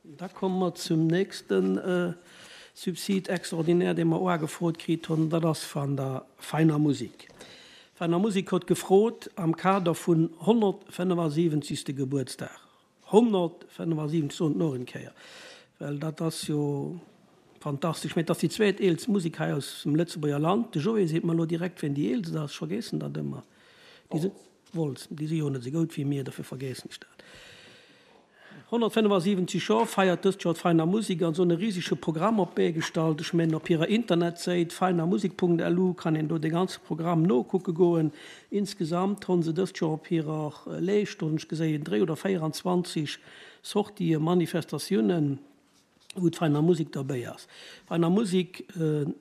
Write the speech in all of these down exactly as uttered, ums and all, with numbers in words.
Da komme mer zum nächsten Subside extraordinaire, dee mer och ugefrot kritt hunn, dat ass van der Veiner Musik. D'Veiner Musik huet gefrot am Kader vun honnertfënnefasiwwenzigste Gebuertsdag, honnertfënnefasiwwenzig, soen et nach eng Kéier, well dat ass jo fantastesch, mä et ass déi zweet eelst Musik hei aus dem Lëtzebuerger Land. De Joé seet mer elo direkt, wien déi eelst ass, ech vergeessen dat ëmmer. Déi si Wolz, déi si jo net esou goud wéi mir, dofir vergeessen ech dat. honnertfënnefasiwwenzeg Joer feiert dëst Joer d'Veiner Musik an se hunn e risege Programm op d'Bee gestallt. Ech mengen op hirer Internetséit veinermusik.lu kann een do de ganze Programm nokucke goen. Insgesamt hunn se dëst Joer op hirer Leescht, hunn ech geséien, dréi oder véieranzwanzeg Sortien, Manifestatiounen. wou d'Veiner Musik derbéi ass. Veiner Musik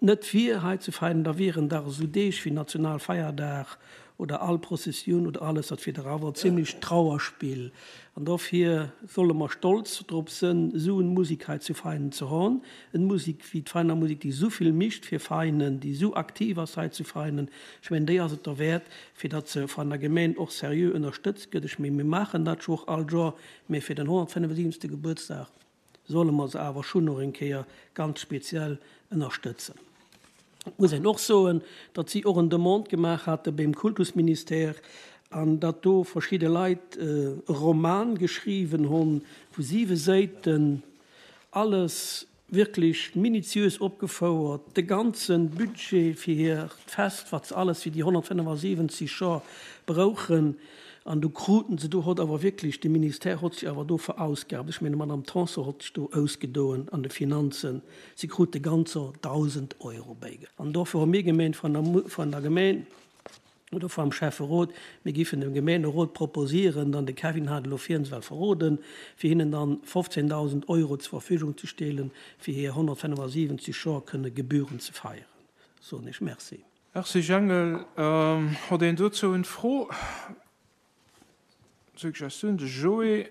net wier hei ze feinen, da wieren dach esou Deeg wéi Nationalfeierdag oder all Prozessioun oder alles, dat wier dach awer e zimlecht Trauerspill. An dofir solle mer stolz drop sënn, esou en Musik hei zu Veinen ze hon, en Musik wéi d'Veiner Musik, déi esou vill micht fir Veinen, déi esou aktiv ass hei zu Veinen. Ech mengen, déi ass et derwäert, fir datt se van der Gemeen och seriö ënnerstëtzt gëtt. Ech mengen, mir maachen dat scho och all Jor, mä fir den honnertfënnefasiwwenzegste Gebuertsdag, solle mer se awer schonn och eng Kéier ganz speziell ënnerstëtzen. Et muss een och soen, datt si och en Demande gemaach hate beim Kultusministère an datt do verschidde Leit e Roman geschriwwen hunn vu siwe Séiten, alles wierklech minutiös opgefouert, de ganze Budget fir hiert Fest, wat se alles fir déi honnertfënnefasiwwenzeg Joer brauchen. An do kruten se, do hott awer wierklech, de Ministère hott sech awer do verausgabt, ech mengen, d'Madame Tanson hott sech do ausgedoen an de Finanzen, si krute ganzer dausend Euro bäige. An dofir hu mir gemeent vun der, vun der Gemeen oder vum Schäfferot, mir giffen dem Gemeenerot proposieren, dann, de Kevin hat elo virns well verroden, fir hinnen dann fofzéndausend Euro zur Verfügung ze stelen, fir hir honnertfënnefasiwwenzeg Joer kënne gebührend ze feieren. Soen ech Merci. Merci Jangel. Hott een dozou en Fro, Suggestioun? De Joé.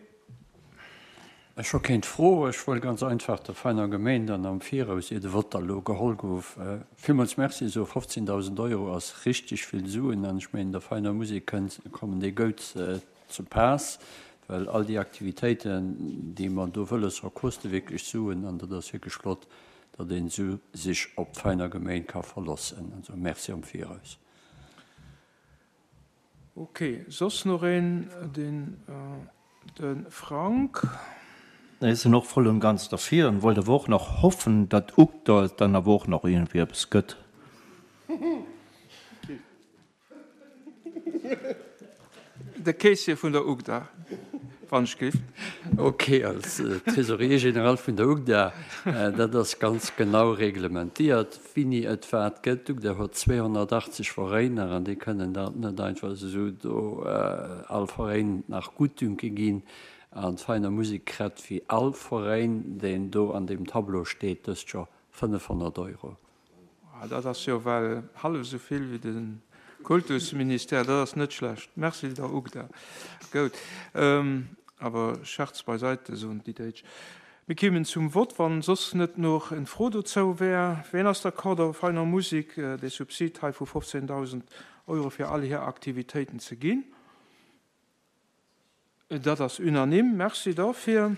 Ech hu kéint Fro. Ech wollt ganz einfach der feiner Gemeen dann am Viraus, ier de Vott da lo geholl gouf, villmools Merci soen. fofzéndausend Euro ass richteg vill Suen an ech mengen, der feiner Musek kënnt, kommen déi goud ze paass, well all déi Aktivitéiten, déi mer do wëlles hu, koste wierklech Suen an dat ass wierklech flott, datt een esou sech op d'feiner Gemeen ka verlossen. Also Merci am Viraus. Ok, soss nach een? Den de Frank. Ech sinn och voll und ganz derfir an wollt awer och nach hoffen, datt UGDA et dann awer och nach iergendwéi eppes gëtt. De Caissier vun der UGDA, wann ech giff. Ok, als Trésorier général vun der UGDA, dat ass ganz genau reglementiert, wini et wat gëtt. D'UGDA huet zweehonnertachtzeg Veräiner an déi kënnen dat net einfach esou do all Veräin nach Gutdünke ginn. An d'Veiner Musek krett wéi all Veräin, deen do an deem Tableau steet, dëst Joer fënnefhonnert Euro. Dat ass jo well hallef esou vill wéi de Kultusministère. Dat ass net schlecht. Merci der UGDA. Goud. Awer Scherz beiseite, soen déi Déitsch. Mir kéimen zum Vott, wann soss net nach en Fro dozou wär. Ween ass d'accord, der Veiner Musik dee Subsid hei vu fofzéndausend Euro fir all hir Aktivitéiten ze ginn? Dat ass unanime. Merci dofir.